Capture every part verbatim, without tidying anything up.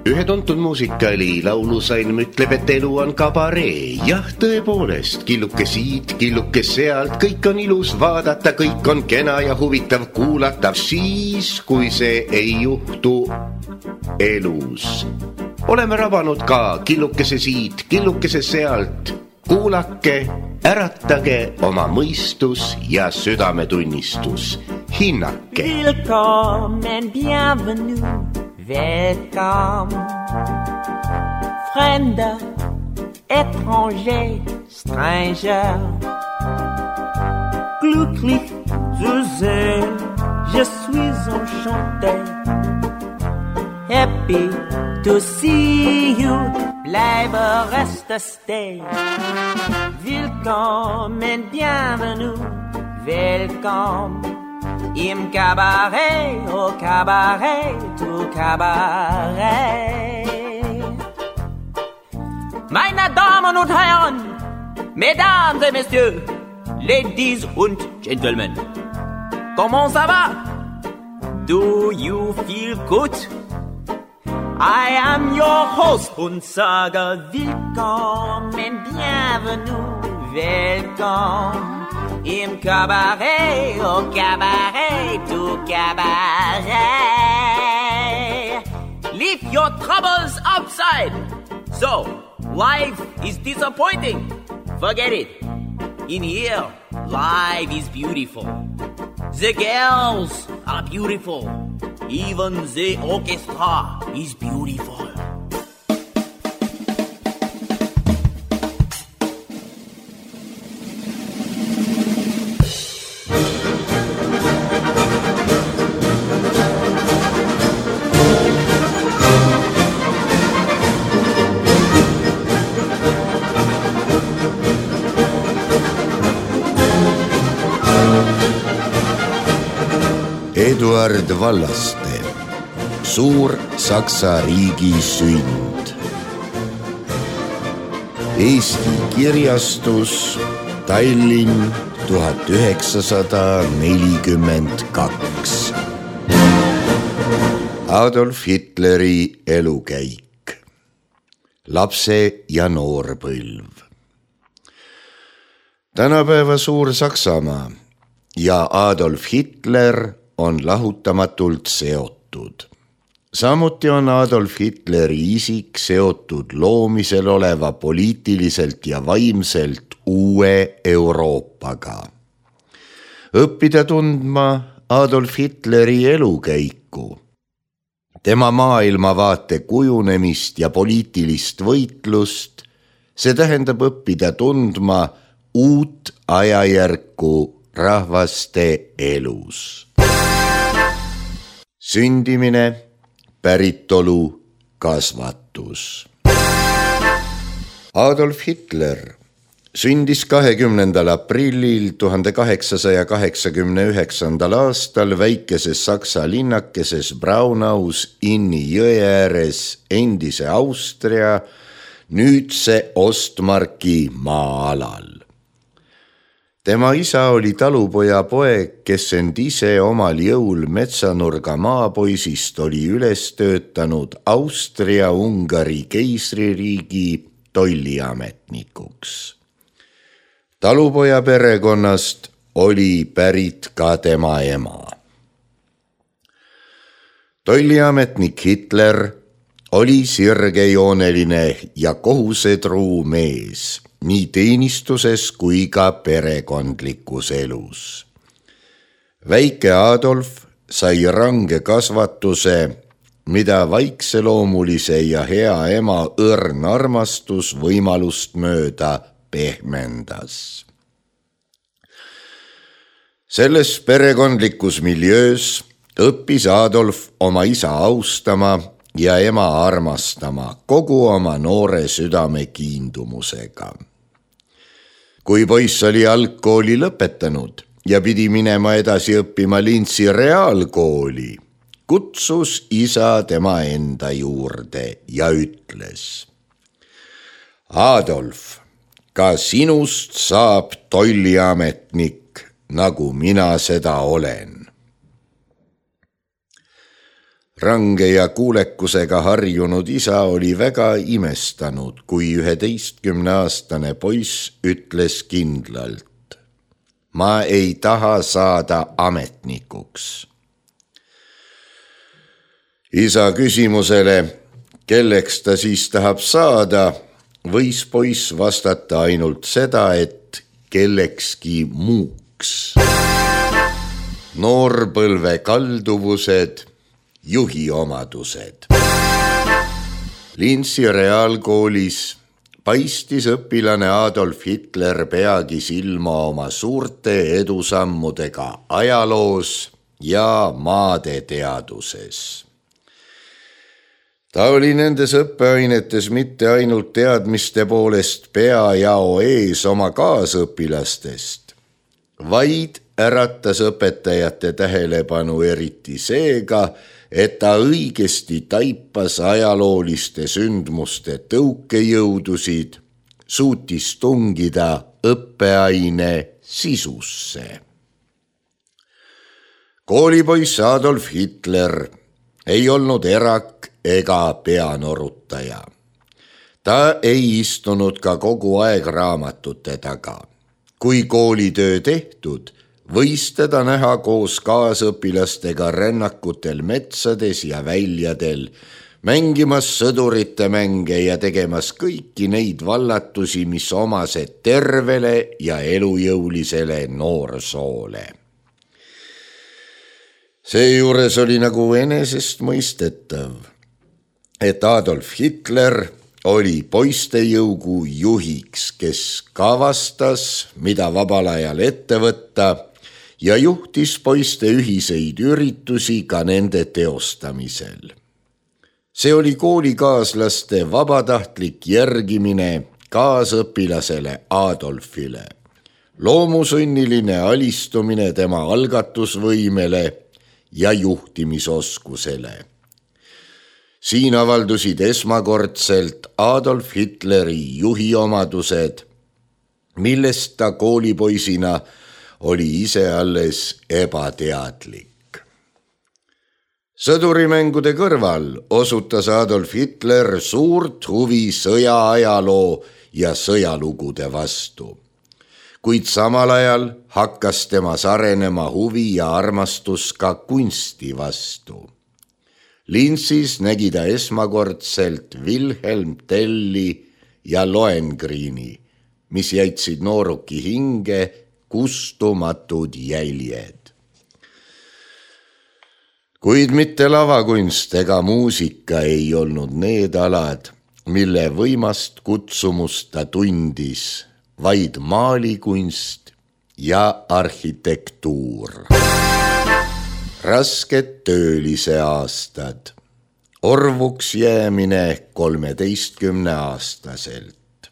Ühe tuntud muusikaali laulusalm ütleb, et elu on kabaree. Jah, tõepoolest, killuke siit, killuke sealt, kõik on ilus vaadata, kõik on kena ja huvitav kuulata. Siis, kui see ei juhtu elus. Oleme rabanud ka killukese siit, killukese sealt. Kuulake, äratage oma mõistus ja südametunnistus. Hinnake. Willkommen, bienvenue. Welcome, Fremder, étranger, stranger. Glücklich zu sehen, je suis enchanté. Happy to see you, bleibe reste stay. Willkommen, bienvenue, welcome. Im Kabarett, au Kabarett, au Kabarett. Meine Damen und Herren, Mesdames et Messieurs, Ladies und Gentlemen, comment ça va? Do you feel good? I am your host und sage willkommen, bienvenue, welcome. Im Kabarett, au Kabarett, au Kabarett. Leave your troubles outside. So, life is disappointing. Forget it. In here, life is beautiful. The girls are beautiful. Even the orchestra is beautiful. Eduard Vallaste, Suur Saksa riigi sünd. Eesti kirjastus, Tallinn, tuhat üheksasada nelikümmend kaks. Adolf Hitleri elukäik. Lapse ja noorpõlv. Tänapäeva Suur-Saksamaa ja Adolf Hitler on lahutamatult seotud. Samuti on Adolf Hitleri isik seotud loomisel oleva poliitiliselt ja vaimselt uue Euroopaga. Õppida tundma Adolf Hitleri elukäiku, tema maailmavaate kujunemist ja poliitilist võitlust, see tähendab õppida tundma uut ajajärku rahvaste elus. Sündimine, päritolu, kasvatus. Adolf Hitler sündis kahekümnendal aprillil tuhande kaheksasaja kaheksakümne üheksandal aastal väikeses Saksa linnakeses Braunaus Inni jõe ääres endise Austria, nüüdse Ostmarki maa-alal. Tema isa oli talupoja poeg, kes end ise omal jõul metsanurga maapoisist oli üles töötanud Austria-Ungari keisririigi tolliametnikuks. Talupoja perekonnast oli pärit ka tema ema. Tolliametnik Hitler oli sirgejooneline ja kohusetruu mees, nii teenistuses kui ka perekondlikus elus. Väike Adolf sai range kasvatuse, mida vaikseloomulise ja hea ema õrn armastus võimalust mööda pehmendas. Selles perekondlikus miljöös õppis Adolf oma isa austama ja ema armastama kogu oma noore südame kiindumusega. Kui poiss oli algkooli lõpetanud ja pidi minema edasi õppima Linzi reaalkooli, kutsus isa tema enda juurde ja ütles: Adolf, ka sinust saab tolliametnik, nagu mina seda olen. Range ja kuulekusega harjunud isa oli väga imestanud, kui üheteistkümneaastane poiss ütles kindlalt: ma ei taha saada ametnikuks. Isa küsimusele, kelleks ta siis tahab saada, võis poiss vastata ainult seda, et kellekski muuks. Noorpõlve kalduvused, juhi omadused. Linsi reaalkoolis paistis õpilane Adolf Hitler peagi silma oma suurte edusammudega ajaloos ja maadeteaduses. Ta oli nendes õppeainetes mitte ainult teadmiste poolest peajao ees oma kaasõpilastest, vaid äratas õpetajate tähelepanu eriti seega, et ta õigesti taipas ajalooliste sündmuste tõukejõudusid, suutis tungida õppeaine sisusse. Koolipoiss Adolf Hitler ei olnud erak ega peanorutaja. Ta ei istunud ka kogu aeg raamatute taga. Kui koolitöö tehtud, võis teda näha koos kaasõpilastega rännakutel metsades ja väljadel, mängimas sõdurite mänge ja tegemas kõiki neid vallatusi, mis omased tervele ja elujõulisele noorsoole. Seejuures oli nagu enesestmõistetav, et Adolf Hitler oli poistejõugu juhiks, kes kavastas, mida vabal ajal ette võtta, ja juhtis poiste ühiseid üritusi ka nende teostamisel. See oli koolikaaslaste vabatahtlik järgimine kaasõpilasele Adolfile, loomusunniline alistumine tema algatusvõimele ja juhtimisoskusele. Siin avaldusid esmakordselt Adolf Hitleri juhiomadused, millest ta koolipoisina oli ise alles ebateadlik. Sõdurimängude kõrval osutas Adolf Hitler suurt huvi sõjaajaloo ja sõjalugude vastu, kuid samal ajal hakkas temas arenema huvi ja armastus ka kunsti vastu. Linsis nägi ta esmakordselt Wilhelm Telli ja Lohengrini, mis jäitsid nooruki hinge kustumatud jäljed. Kuid mitte lavakunst ega muusika ei olnud need alad, mille võimast kutsumust ta tundis, vaid maalikunst ja arhitektuur. Rasked töölise aastad, orvuks jäämine kolmeteistkümne aastaselt.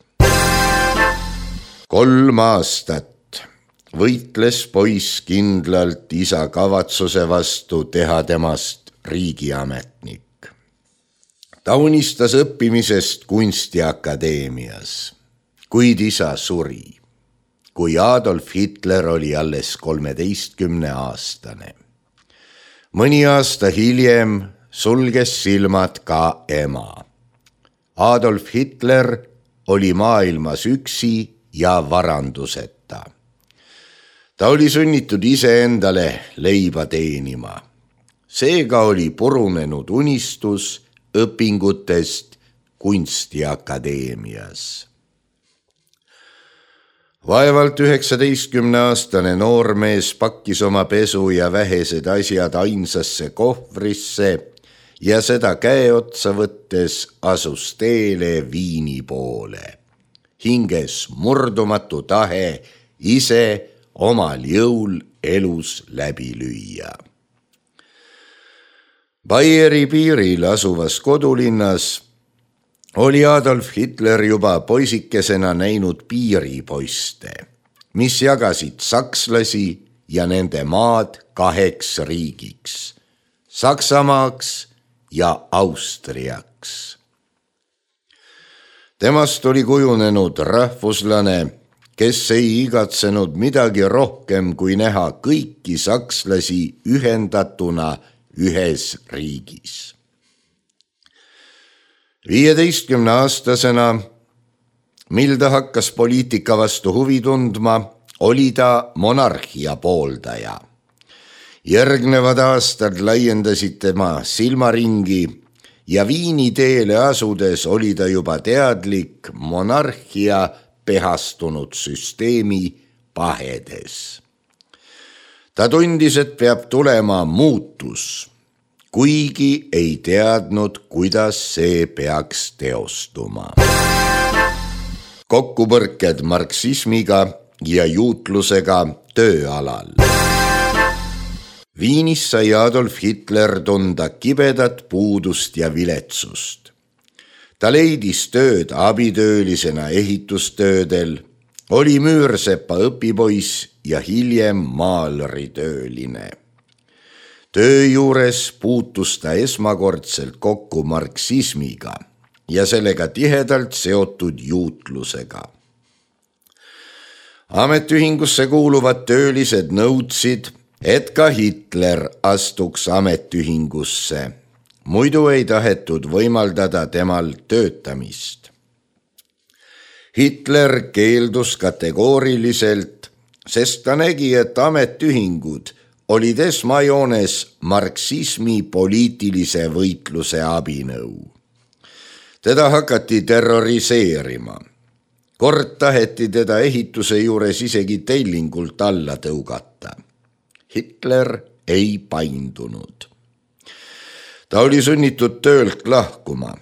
Kolm aastat võitles poiss kindlalt isa kavatsuse vastu teha temast riigiametnik. Ta unistas õppimisest kunstiakadeemias, kuid isa suri, kui Adolf Hitler oli alles kolmeteistkümne aastane. Mõni aasta hiljem sulges silmad ka ema. Adolf Hitler oli maailmas üksi ja varanduseta. Ta oli sunnitud iseendale leiba teenima. Seega oli purunenud unistus õpingutest kunstiakadeemias. Vaevalt üheksateistkümneaastane noormees pakkis oma pesu ja vähesed asjad ainsasse kohvrisse ja seda käeotsa võttes asus teele Viini poole. Hinges murdumatu tahe ise omal jõul elus läbi lüüa. Baieri piiril asuvas kodulinnas oli Adolf Hitler juba poisikesena näinud piiripoiste, mis jagasid sakslasi ja nende maad kaheks riigiks, Saksamaaks ja Austriaks. Temast oli kujunenud rahvuslane, kes ei igatsenud midagi rohkem kui näha kõiki sakslasi ühendatuna ühes riigis. viieteistkümne aastasena, mil ta hakkas poliitika vastu huvi tundma, oli ta monarhia pooldaja. Järgnevad aastad laiendasid tema silmaringi ja Viini teele asudes oli ta juba teadlik monarhia pehastunud süsteemi pahedes. Ta tundis, et peab tulema muutus, kuigi ei teadnud, kuidas see peaks teostuma. Kokkupõrked marksismiga ja juutlusega tööalal. Viinis sai Adolf Hitler tunda kibedat puudust ja viletsust. Ta leidis tööd abitöölisena ehitustöödel, oli müürsepa õpipoiss ja hiljem maalritööline. Töö juures puutus ta esmakordselt kokku marksismiga ja sellega tihedalt seotud juutlusega. Ametiühingusse kuuluvad töölised nõudsid, et ka Hitler astuks ametiühingusse, muidu ei tahetud võimaldada temal töötamist. Hitler keeldus kategooriliselt, sest ta nägi, et ametiühingud olid esmajoones marksismi poliitilise võitluse abinõu. Teda hakati terroriseerima. Kord taheti teda ehituse juures isegi tellingult alla tõugata. Hitler ei paindunud. Ta oli sunnitud töölt lahkuma.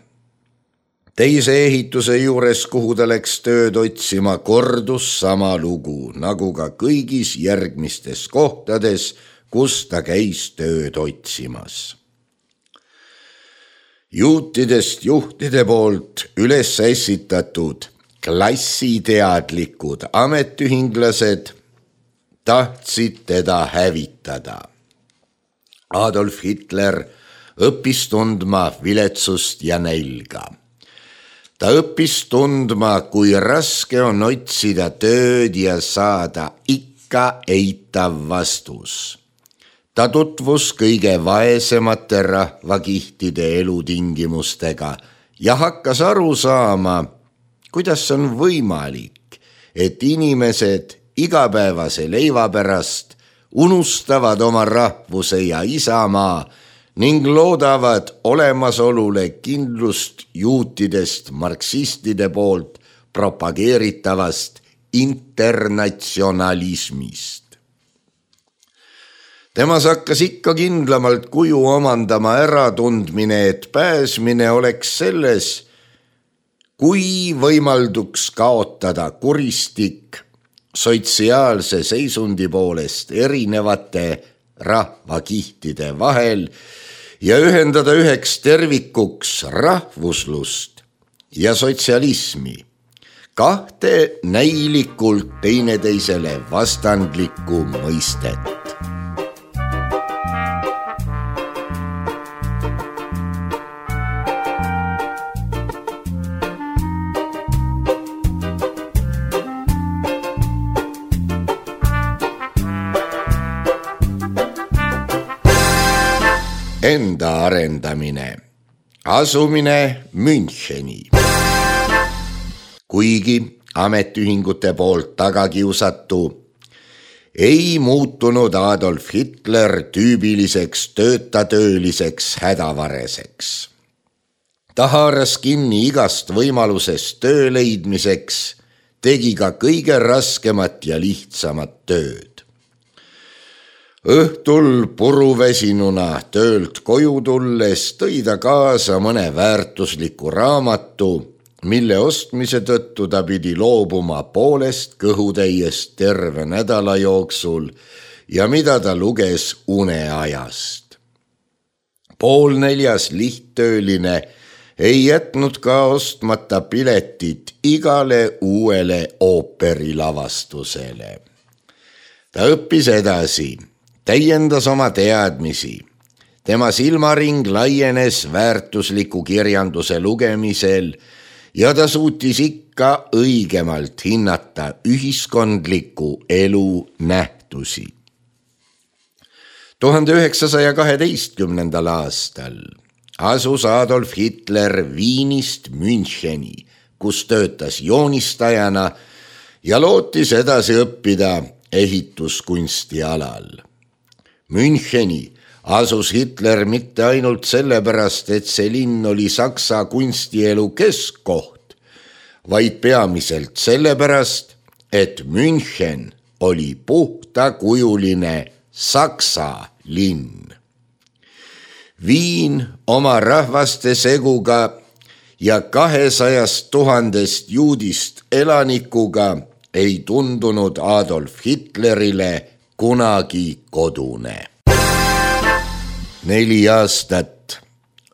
Teise ehituse juures, kuhu ta läks tööd otsima, kordus sama lugu, nagu ka kõigis järgmistes kohtades, kus ta käis tööd otsimas. Juutidest juhtide poolt üles ässitatud klassiteadlikud ametiühinglased tahtsid teda hävitada. Adolf Hitler õppis tundma viletsust ja nälga. Ta õppis tundma, kui raske on otsida tööd ja saada ikka eitav vastus. Ta tutvus kõige vaesemate rahvakihtide elutingimustega ja hakkas aru saama, kuidas on võimalik, et inimesed igapäevase leiva pärast unustavad oma rahvuse ja isamaa ning loodavad olemasolule kindlust juutidest marksistide poolt propageeritavast internatsionalismist. Temas hakkas ikka kindlamalt kuju omandama äratundmine, et pääsmine oleks selles, kui võimalduks kaotada kuristik sotsiaalse seisundi poolest erinevate rahvakihtide vahel ja ühendada üheks tervikuks rahvuslust ja sotsialismi, kahte näilikult teineteisele vastandlikku mõistet. Enda arendamine, asumine Müncheni. Kuigi ametiühingute poolt tagakiusatu, ei muutunud Adolf Hitler tüübiliseks töötatööliseks hädavareseks. Ta haaras kinni igast võimalusest töö leidmiseks, tegi ka kõige raskemat ja lihtsamat tööd. Õhtul puruväsinuna töölt koju tulles tõi ta kaasa mõne väärtusliku raamatu, mille ostmise tõttu ta pidi loobuma poolest kõhutäiest terve nädala jooksul ja mida ta luges uneajast. Poolneljas lihttööline ei jätnud ka ostmata piletit igale uuele ooperilavastusele. Ta õppis edasi, täiendas oma teadmisi. Tema silmaring laienes väärtusliku kirjanduse lugemisel ja ta suutis ikka õigemalt hinnata ühiskondliku elu nähtusi. tuhande üheksasaja kaheteistkümnendal aastal asus Adolf Hitler Viinist Müncheni, kus töötas joonistajana ja lootis edasi õppida ehituskunsti alal. Müncheni asus Hitler mitte ainult sellepärast, et see linn oli Saksa kunstielu keskkoht, vaid peamiselt sellepärast, et München oli puhtakujuline Saksa linn. Viin oma rahvaste seguga ja kahesajast tuhandest juudist elanikuga ei tundunud Adolf Hitlerile kunagi kodune. Neli aastat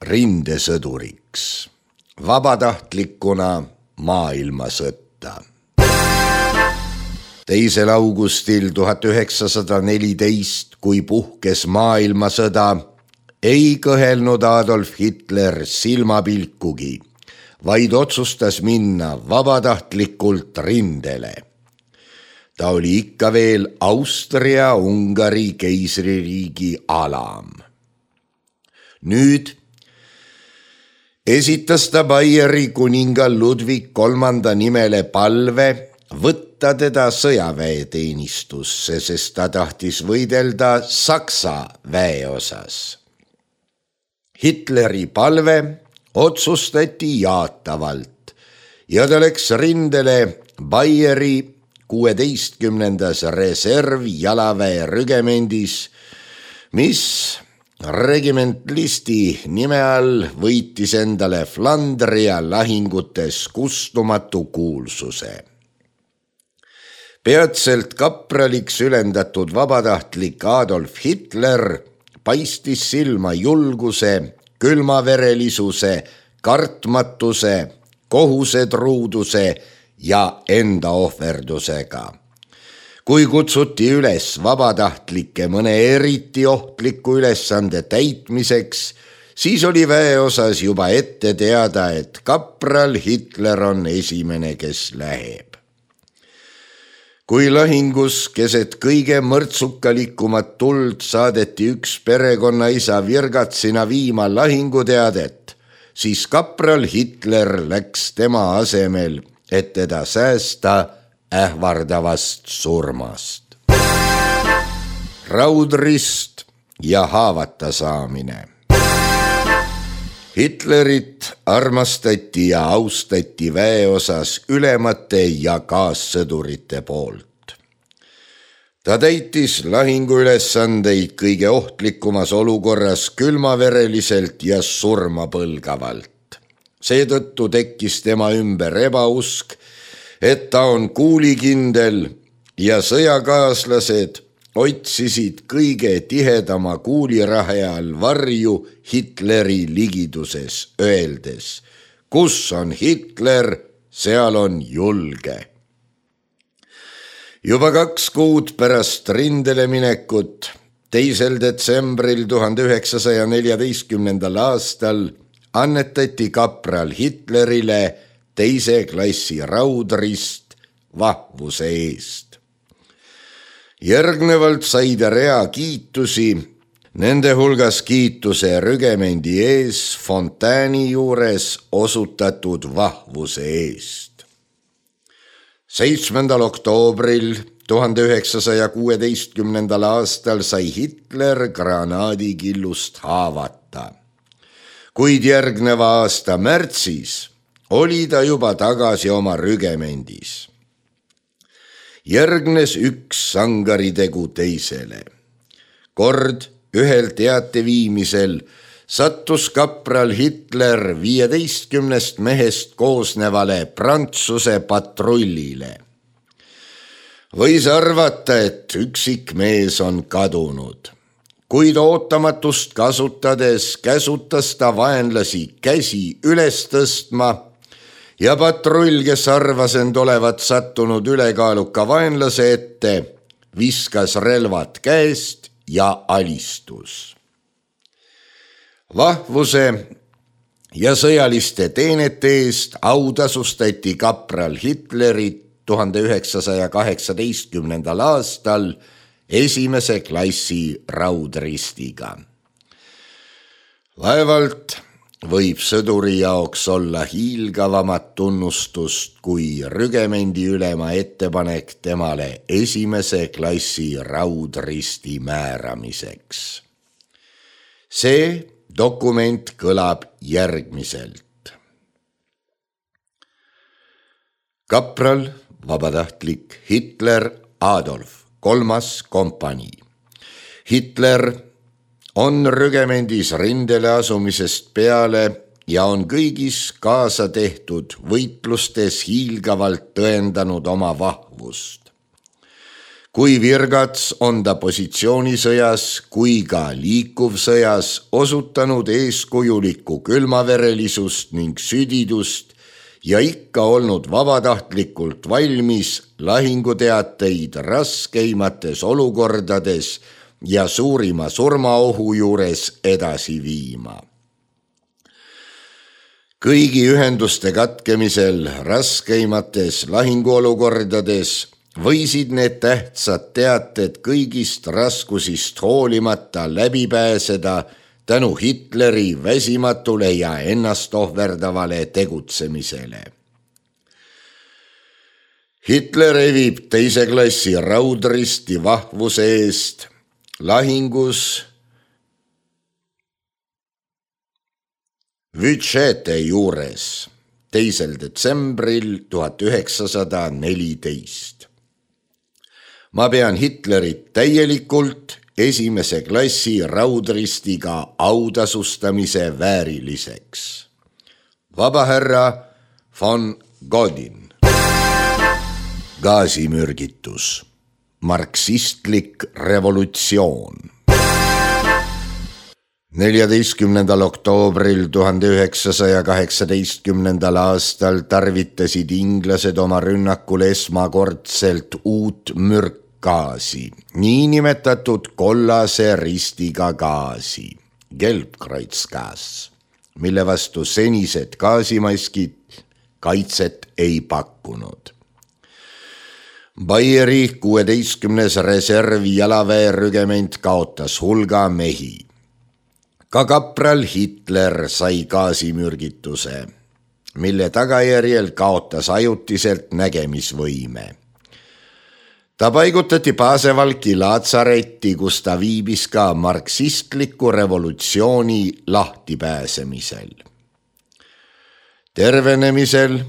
rindesõduriks, vabatahtlikuna maailmasõtta. Teisel augustil tuhat üheksasada neliteist, kui puhkes maailmasõda, ei kõhelnud Adolf Hitler silmapilkugi, vaid otsustas minna vabatahtlikult rindele. Ta oli ikka veel Austria-Ungari keisririigi alam. Nüüd esitas ta Baieri kuningal Ludwig kolmanda nimele palve võtta teda sõjaväeteenistusse, sest ta tahtis võidelda Saksa väeosas. Hitleri palve otsustati jaatavalt ja ta läks rindele Baieri kuueteistkümnendas reservjalaväe rügemendis, mis regimentlisti nime all võitis endale Flandria lahingutes kustumatu kuulsuse. Peatselt kapraliks ülendatud vabatahtlik Adolf Hitler paistis silma julguse, külmaverelisuse, kartmatuse, kohusetruuduse ja enda ohverdusega. Kui kutsuti üles vabatahtlikke mõne eriti ohtliku ülesande täitmiseks, siis oli väeosas juba ette teada, et kapral Hitler on esimene, kes läheb. Kui lahingus keset kõige mõrtsukalikumat tuld saadeti üks perekonnaisa virgatsina viima lahinguteadet, siis kapral Hitler läks tema asemel, et teda säästa ähvardavast surmast. Raudrist ja haavata saamine. Hitlerit armastati ja austati väeosas ülemate ja kaassõdurite poolt. Ta täitis lahinguülesandeid kõige ohtlikumas olukorras külmavereliselt ja surmapõlgavalt. Seetõttu tekkis tema ümber ebausk, et ta on kuulikindel ja sõjakaaslased otsisid kõige tihedama kuulirahe all varju Hitleri ligiduses, öeldes, kus on Hitler, seal on julge. Juba kaks kuud pärast rindele minekut, teisel detsembril tuhande üheksasaja neljateistkümnendal aastal annetati kapral Hitlerile teise klassi raudrist vahvuse eest. Järgnevalt sai ta rea kiitusi, nende hulgas kiituse rügemendi ees Fontääni juures osutatud vahvuse eest. seitsmendal oktoobril tuhande üheksasaja kuueteistkümnendal aastal sai Hitler granaadikillust haavata. Kuid järgneva aasta märtsis oli ta juba tagasi oma rügemendis. Järgnes üks sangaritegu teisele. Kord ühel teate viimisel sattus kapral Hitler viieteistkümnest mehest koosnevale Prantsuse patrullile. Võis arvata, et üksik mees on kadunud, kuid ootamatust kasutades käsutas ta vaenlasi käsi üles tõstma ja patrull, kes arvas end olevat sattunud ülekaaluka vaenlase ette, viskas relvad käest ja alistus. Vahvuse ja sõjaliste teenete eest autasustati kapral Hitlerit tuhande üheksasaja kaheksateistkümnendal aastal esimese klassi raudristiga. Vaevalt võib sõduri jaoks olla hiilgavamat tunnustust kui rügemendi ülema ettepanek temale esimese klassi raudristi määramiseks. See dokument kõlab järgmiselt. Kapral, vabatahtlik Hitler Adolf, kolmas kompanii. Hitler on rügemendis rindele asumisest peale ja on kõigis kaasa tehtud võitlustes hiilgavalt tõendanud oma vahvust. Kui virgats on ta positsioonisõjas kui ka liikuvsõjas osutanud eeskujulikku külmaverelisust ning südidust ja ikka olnud vabatahtlikult valmis lahinguteateid raskeimates olukordades ja suurima surmaohu juures edasi viima. Kõigi ühenduste katkemisel raskeimates lahinguolukordades võisid need tähtsad teated kõigist raskusist hoolimata läbi pääseda tänu Hitleri väsimatule ja ennast ohverdavale tegutsemisele. Hitler evib teise klassi raudristi vahvuse eest lahingus Vyčete juures teisel detsembril tuhat üheksasada neliteist. Ma pean Hitlerit täielikult esimese klassi raudristiga autasustamise vääriliseks. Vabahärra von Godin. Gaasimürgitus. Marksistlik revolutsioon. neljateistkümnendal oktoobril tuhande üheksasaja kaheksateistkümnendal aastal tarvitasid inglased oma rünnakul esmakordselt uut mürkgaasi, niinimetatud kollase ristiga gaasi, Gelbkreuzgas, mille vastu senised gaasimaskid kaitset ei pakkunud. Baieri kuueteistkümnes reservi jalaväerügement kaotas hulga mehi. Ka kapral Hitler sai gaasimürgituse, mille tagajärjel kaotas ajutiselt nägemisvõime. Ta paigutati Pasevalki laatsaretti, kus ta viibis ka marksistliku revolutsiooni lahtipääsemisel. Tervenemisel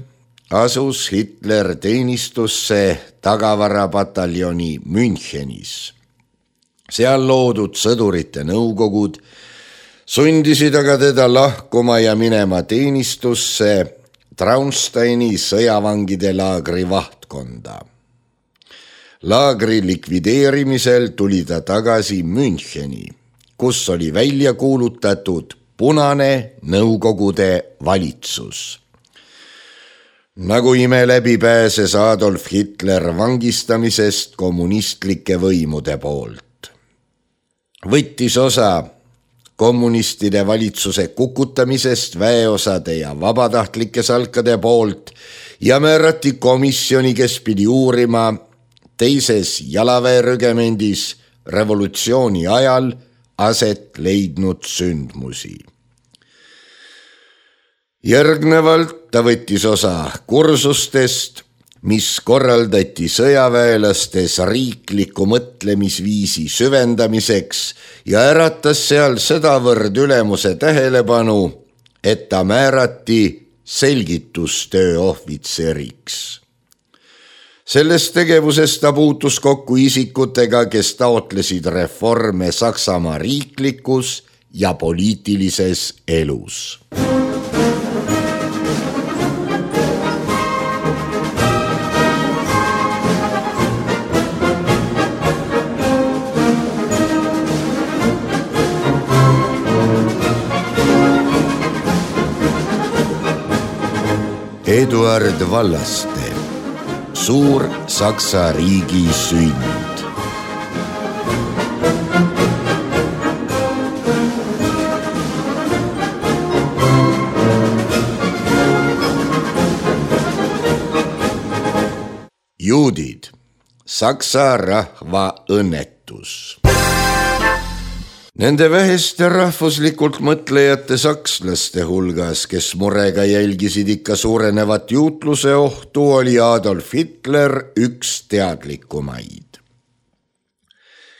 asus Hitler teenistusse tagavarapataljoni Münchenis. Seal loodud sõdurite nõukogud sundisid aga teda lahkuma ja minema teenistusse Traunsteini sõjavangide laagri vahtkonda. Laagri likvideerimisel tuli ta tagasi Müncheni, kus oli välja kuulutatud punane nõukogude valitsus. Nagu ime läbi pääses Adolf Hitler vangistamisest kommunistlike võimude poolt. Võttis osa kommunistide valitsuse kukutamisest väeosade ja vabatahtlike salkade poolt ja määrati komisjoni, kes pidi uurima teises jalaväerügemendis revolutsiooni ajal aset leidnud sündmusi. Järgnevalt ta võttis osa kursustest, mis korraldati sõjaväelastes riikliku mõtlemisviisi süvendamiseks ja äratas seal sedavõrd ülemuse tähelepanu, et ta määrati selgitustöö ohvitseriks. Selles tegevuses ta puutus kokku isikutega, kes taotlesid reforme Saksamaa riiklikus ja poliitilises elus. Eduard Vallaste, suur Saksa riigi sünd. Juudid, Saksa rahva õnnetus. toetus. Nende väheste rahvuslikult mõtlejate sakslaste hulgas, kes murega jälgisid ikka suurenevat juutluse ohtu, oli Adolf Hitler üks teadlikumaid.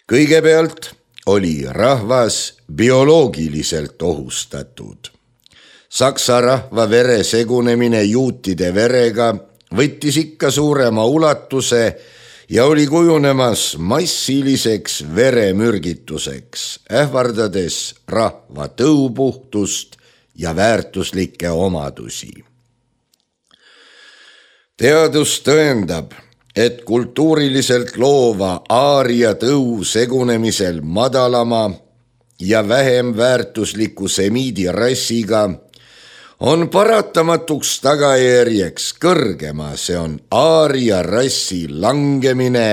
Kõigepealt oli rahvas bioloogiliselt ohustatud. Saksa rahva vere segunemine juutide verega võttis ikka suurema ulatuse ja oli kujunemas massiliseks veremürgituseks, ähvardades rahva tõupuhtust ja väärtuslikke omadusi. Teadus tõendab, et kultuuriliselt loova aaria tõu segunemisel madalama ja vähem väärtusliku semiidi rassiga on paratamatuks tagajärjeks kõrgema, see on aaria rassi langemine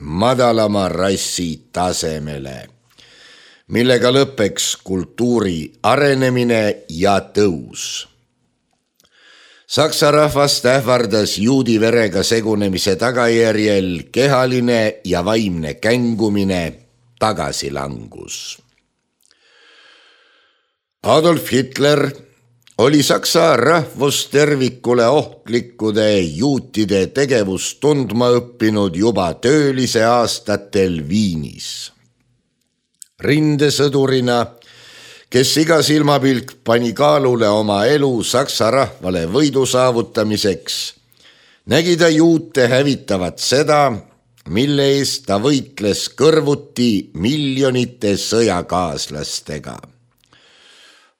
madalama rassi tasemele, millega lõpeks kultuuri arenemine ja tõus. Saksa rahvast ähvardas juudi verega segunemise tagajärjel kehaline ja vaimne kängumine, tagasilangus. Adolf Hitler oli Saksa rahvustervikule ohtlikkude juutide tegevust tundma õppinud juba töölise aastatel Viinis. Rindesõdurina, kes iga silmapilk pani kaalule oma elu Saksa rahvale võidu saavutamiseks, nägi ta juute hävitavat seda, mille eest ta võitles kõrvuti miljonite sõjakaaslastega.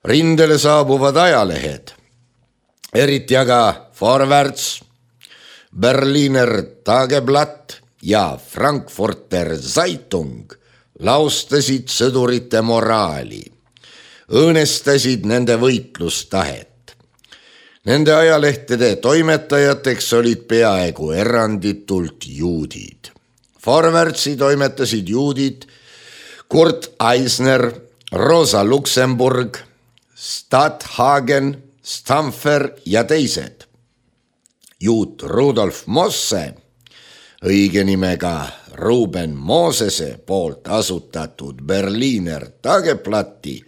Rindele saabuvad ajalehed, eriti aga Vorwärts, Berliner Tageblatt ja Frankfurter Zeitung laustasid sõdurite moraali, õõnestasid nende võitlustahet. Nende ajalehtede toimetajateks olid peaaegu eranditult juudid. Vorwärtsi toimetasid juudid Kurt Eisner, Rosa Luxemburg, Stadhagen, Stamfer ja teised. Juut Rudolf Mosse, õige nimega Ruben Mosese poolt asutatud Berliner Tageblatti,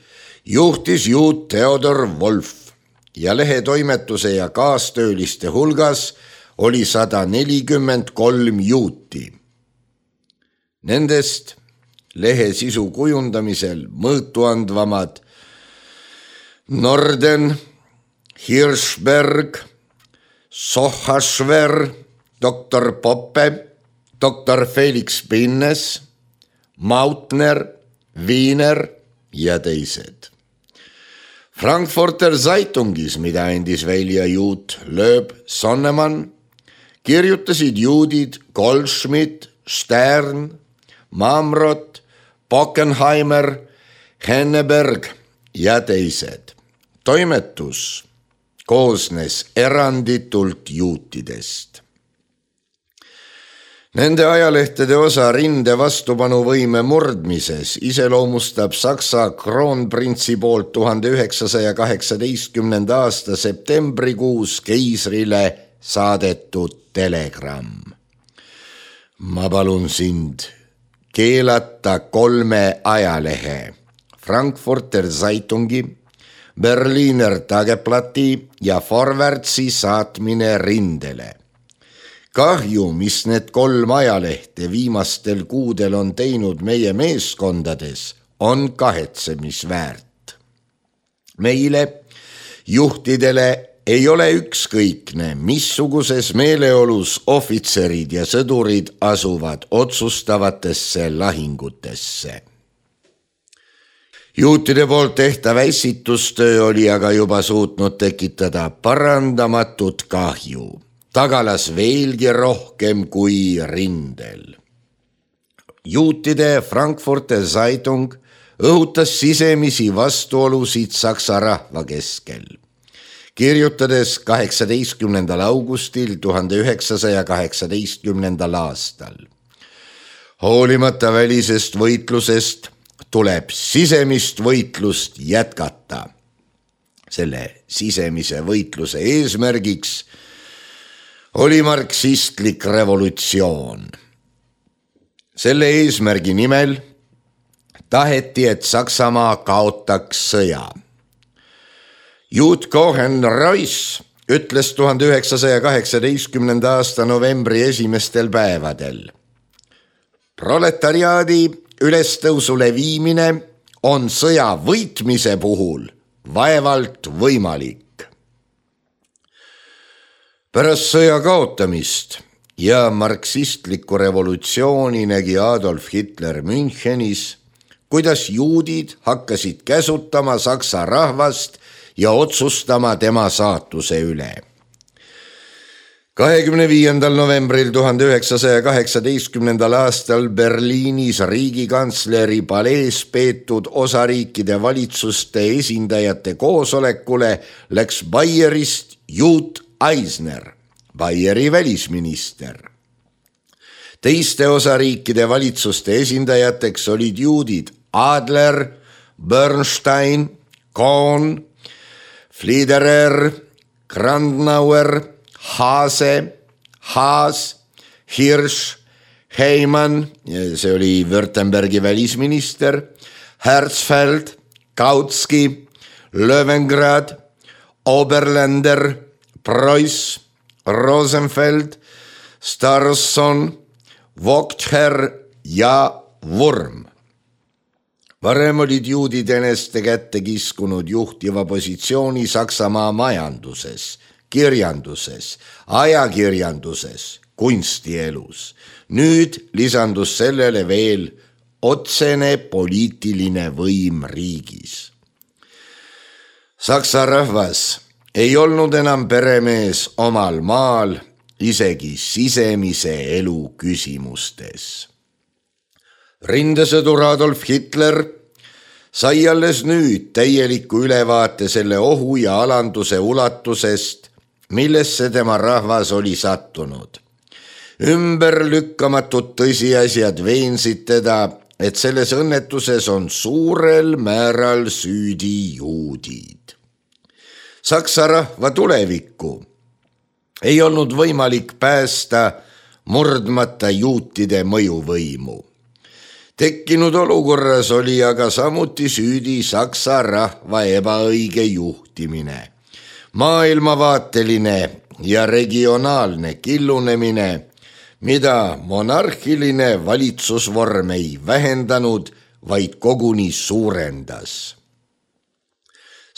juhtis juut Theodor Wolf ja lehe toimetuse ja kaastööliste hulgas oli sada nelikümmend kolm juuti. Nendest lehe sisu kujundamisel mõõtuandvamad Norden, Hirschberg, Sochaschwer, doktor Poppe, doktor Felix Pinnes, Mautner, Wiener ja teised. Frankfurter Zeitungis, mida andis välja juut Lööb Sonnemann, kirjutasid juudid Goldschmidt, Stern, Mamrot, Bockenheimer, Henneberg ja teised. Toimetus koosnes eranditult juutidest. Nende ajalehtede osa rinde vastupanuvõime murdmises iseloomustab Saksa kroonprintsi poolt tuhande üheksasaja kaheksateistkümnenda aasta septembrikuus keisrile saadetud telegramm. Ma palun sind keelata kolme ajalehe, Frankfurter Zeitungi, Berliner Tageblatti ja Vorwärtsi saatmine rindele. Kahju, mis need kolm ajalehte viimastel kuudel on teinud meie meeskondades, on kahetsemisväärt. Meile, juhtidele, ei ole ükskõikne, missuguses meeleolus ohvitserid ja sõdurid asuvad otsustavatesse lahingutesse. Juutide poolt tehtav ässitustöö oli aga juba suutnud tekitada parandamatut kahju, tagalas veelgi rohkem kui rindel. Juutide Frankfurter Zeitung õhutas sisemisi vastuolusid Saksa rahva keskel, kirjutades kaheksateistkümnendal augustil tuhande üheksasaja kaheksateistkümnendal aastal. Hoolimata välisest võitlusest tuleb sisemist võitlust jätkata. Selle sisemise võitluse eesmärgiks oli marksistlik revolutsioon. Selle eesmärgi nimel taheti, et Saksamaa kaotaks sõja. Juut Cohen-Royce ütles tuhande üheksasaja kaheksateistkümnenda aasta novembri esimestel päevadel. Proletariaadi ülestõusule viimine on sõja võitmise puhul vaevalt võimalik. Pärast sõja kaotamist ja marksistlikku revolutsiooni nägi Adolf Hitler Münchenis, kuidas juudid hakkasid käsutama saksa rahvast ja otsustama tema saatuse üle. kahekümne viiendal novembril tuhande üheksasaja kaheksateistkümnendal aastal Berliinis riigikantsleri palees peetud osariikide valitsuste esindajate koosolekule läks Bayerist Juut Eisner, Bayeri välisminister. Teiste osariikide valitsuste esindajateks olid juudid Adler, Bernstein, Kohn, Fliederer, Grandnauer, Haase, Haas, Hirsch, Heimann, see oli Württembergi välisminister, Herzfeld, Kautski, Löwengrad, Oberländer, Preuss, Rosenfeld, Starsson, Vogther ja Wurm. Varem olid juudid eneste kätte kiskunud juhtiva positsiooni Saksamaa majanduses, kirjanduses, ajakirjanduses, kunstielus. Nüüd lisandus sellele veel otsene poliitiline võim riigis. Saksa rahvas ei olnud enam peremees omal maal, isegi sisemise elu küsimustes. Rindesõdur Adolf Hitler sai alles nüüd täieliku ülevaate selle ohu ja alanduse ulatusest, millesse tema rahvas oli sattunud. Ümberlükkamatud tõsiasjad veensid teda, et selles õnnetuses on suurel määral süüdi juudid. Saksa rahva tulevikku ei olnud võimalik päästa murdmata juutide mõjuvõimu. Tekkinud olukorras oli aga samuti süüdi Saksa rahva ebaõige juhtimine, maailmavaateline ja regionaalne killunemine, mida monarhiline valitsusvorm ei vähendanud, vaid koguni suurendas.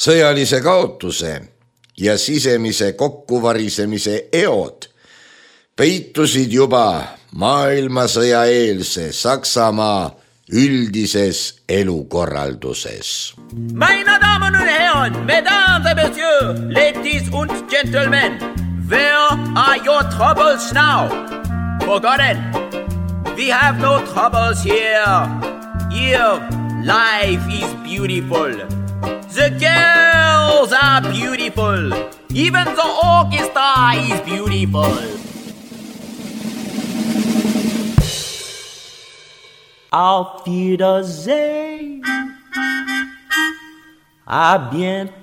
Sõjalise kaotuse ja sisemise kokkuvarisemise eod peitusid juba maailmasõja eelse Saksamaa üldises elukorralduses. Meine Damen und Herren, Mesdames et Messieurs, Ladies und Gentlemen, where are your troubles now? Forgotten, we have no troubles here. Here, life is beautiful. The girls are beautiful. Even the orchestra is beautiful. Auf Wiedersehen, à bientôt.